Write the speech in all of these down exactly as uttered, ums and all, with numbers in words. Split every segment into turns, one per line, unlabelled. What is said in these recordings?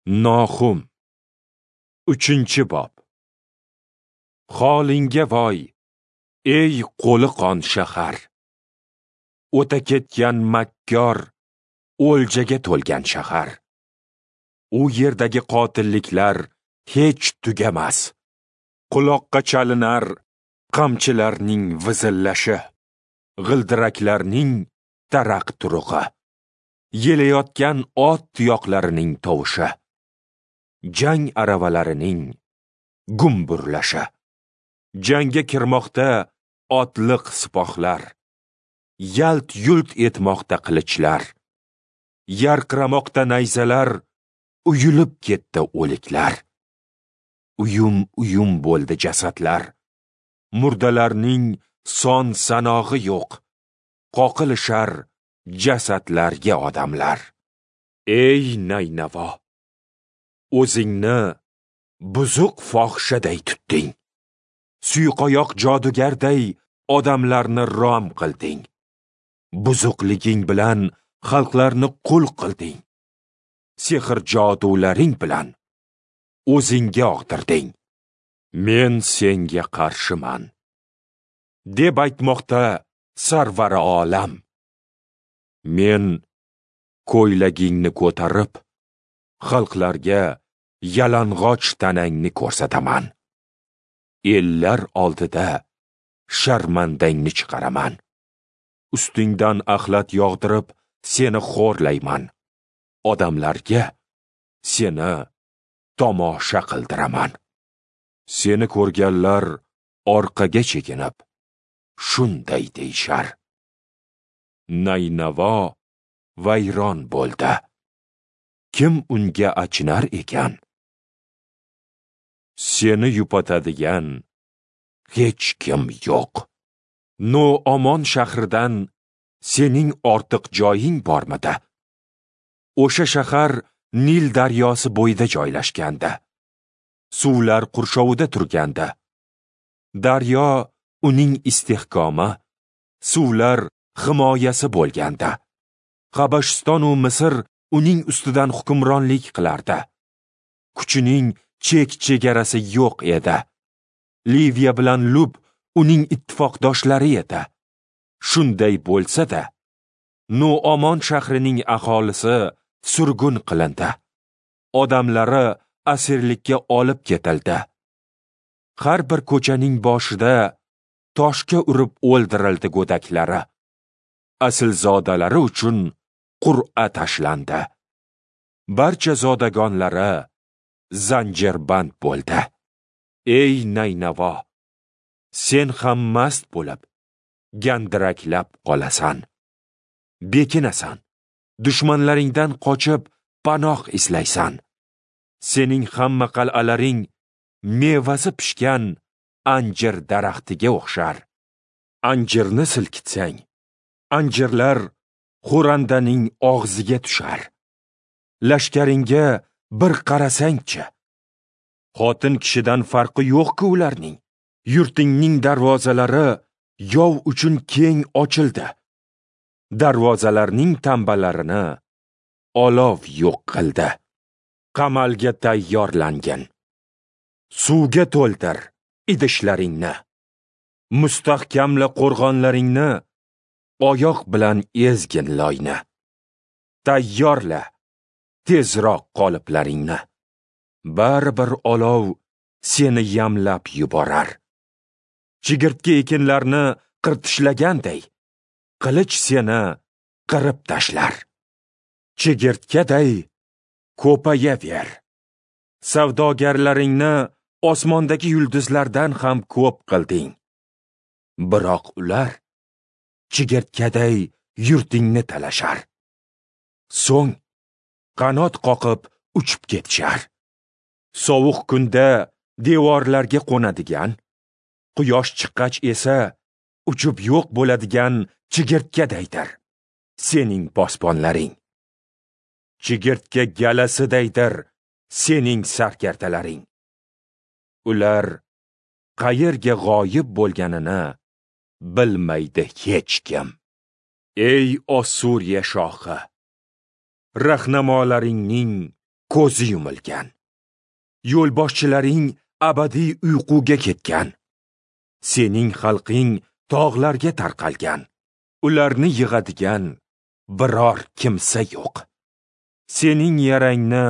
Nohum, uchinchi bob. Holingga voy, ey qo'li qon shahar! O'ta ketgan makkor, o'ljaga to'lgan shahar. U yerdagi qotilliklar hech tugamas. Quloqqa chalinar qamchilarning vizillashi, g'ildiraklarning taraq-turug'i, yelayotgan ot tuyoqlarining tovushi, jang aravalarining gumburlashi. Jangga kirmoqda otliq sipohlar, yalt-yult etmoqda qilichlar, yarqiramoqda nayzalar, uyulib ketdi o'liklar. Uyum-uyum bo'ldi jasadlar. Murdalarning son sanog'i yo'q. Qoqilishar jasadlarga odamlar. Ey Naynavo, o'zingni buzuq fohishaday tutding. Suyqoyoq jodugarday odamlarni rom qilding. Buzuqliging bilan xalqlarni qul qilding. Sehr jodularing bilan o'zingga og'dirding. Men senga qarshiman, deb aytmoqda Sarvari olam. Men ko'ylagingni ko'tarib, xalqlarga yalang'och tanangni ko'rsataman. Ellar oldida sharmandangni chiqaraman. Ustingdan axlat yog'dirib, seni xo'rlayman. Odamlarga seni tomosha qildiraman. Seni ko'rganlar orqaga chekinib, shunday deyishar: Naynavo vayron bo'ldi. Kim unga achinar ekan? Seni yupatadigan hech kim yo'q. No-Omon shahridan sening ortiq joying bormidi? O'sha shahar Nil daryosi bo'yida joylashgandi. Suvlar qurshovida turgandi. Daryo uning istehkomi, suvlar himoyasi bo'lgandi. Habashiston u Misr uning ustidan hukmronlik qilardi. Kuchining chek-chegarasi yo'q edi. Liviya bilan Lub uning ittifoqdoshlari edi. Shunday bo'lsa-da, No-Omon shahrining aholisi surgun qilindi. Odamlari asirlikka olib ketildi. Har bir ko'chaning boshida toshga urib o'ldirildi go'daklari. Aslzodalari uchun qur'a tashlandi. Barcha zodagonlari zanjirband bo'ldi. Ey Naynavo, sen ham mast bo'lib, gandiraklab qolasan. Bekinasan, dushmanlaringdan qochib panoh izlaysan. Sening hamma qal'alaring mevasi pishgan anjir daraxtiga o'xshar. Anjirni silkitsang, anjirlar xo'randaning og'ziga tushar. Lashkaringga bir qarasangchi, xotin kishidan farqi yo'q-ku ularning. Yurtingning darvozalari yov uchun keng ochildi. Darvozalarning tambalarini olov yo'q qildi. Qamalga tayyorlangan. Suvga to'ldir idishlaringni. Mustahkamla qo'rg'onlaringni, oyoq bilan ezgin loyni. Tayyorla tezroq qoliplaringni. Baribir olov seni yamlab yuborar. Chigirtka ekinlarni qirtishlaganday, qilich seni qirib tashlar. Chigirtkaday ko'payaver. Savdogarlaringni osmondagi yulduzlardan ham ko'p qilding. Biroq ular chigirtkaday yurtingni talashar. So'ng qanot qoqib uchib ketishar. Sovuq kunda devorlarga qo'nadigan, quyosh chiqqach esa uchib yo'q bo'ladigan chigirtkadaydir sening posbonlaring. Chigirtka galasidaydir sening sarkardalaring. Ular qayerga g'oyib bo'lganini bilmaydi hech kim. Ey Ossuriya shohi, rahnamolaringning ko'zi yumilgan. Yo'lboshchilaring abadiy uyquga ketgan. Sening xalqing tog'larga tarqalgan. Ularni yig'adigan biror kimsa yo'q. Sening yarangni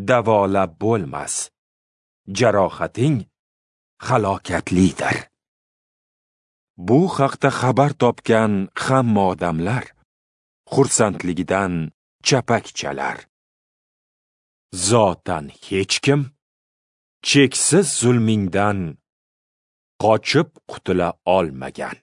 davolab bo'lmas. Jarohating halokatlidir. Bu haqda xabar topgan hamma odamlar xursandligidan chapak chalar. Zotan hech kim cheksiz zulmingdan qochib qutula olmagan.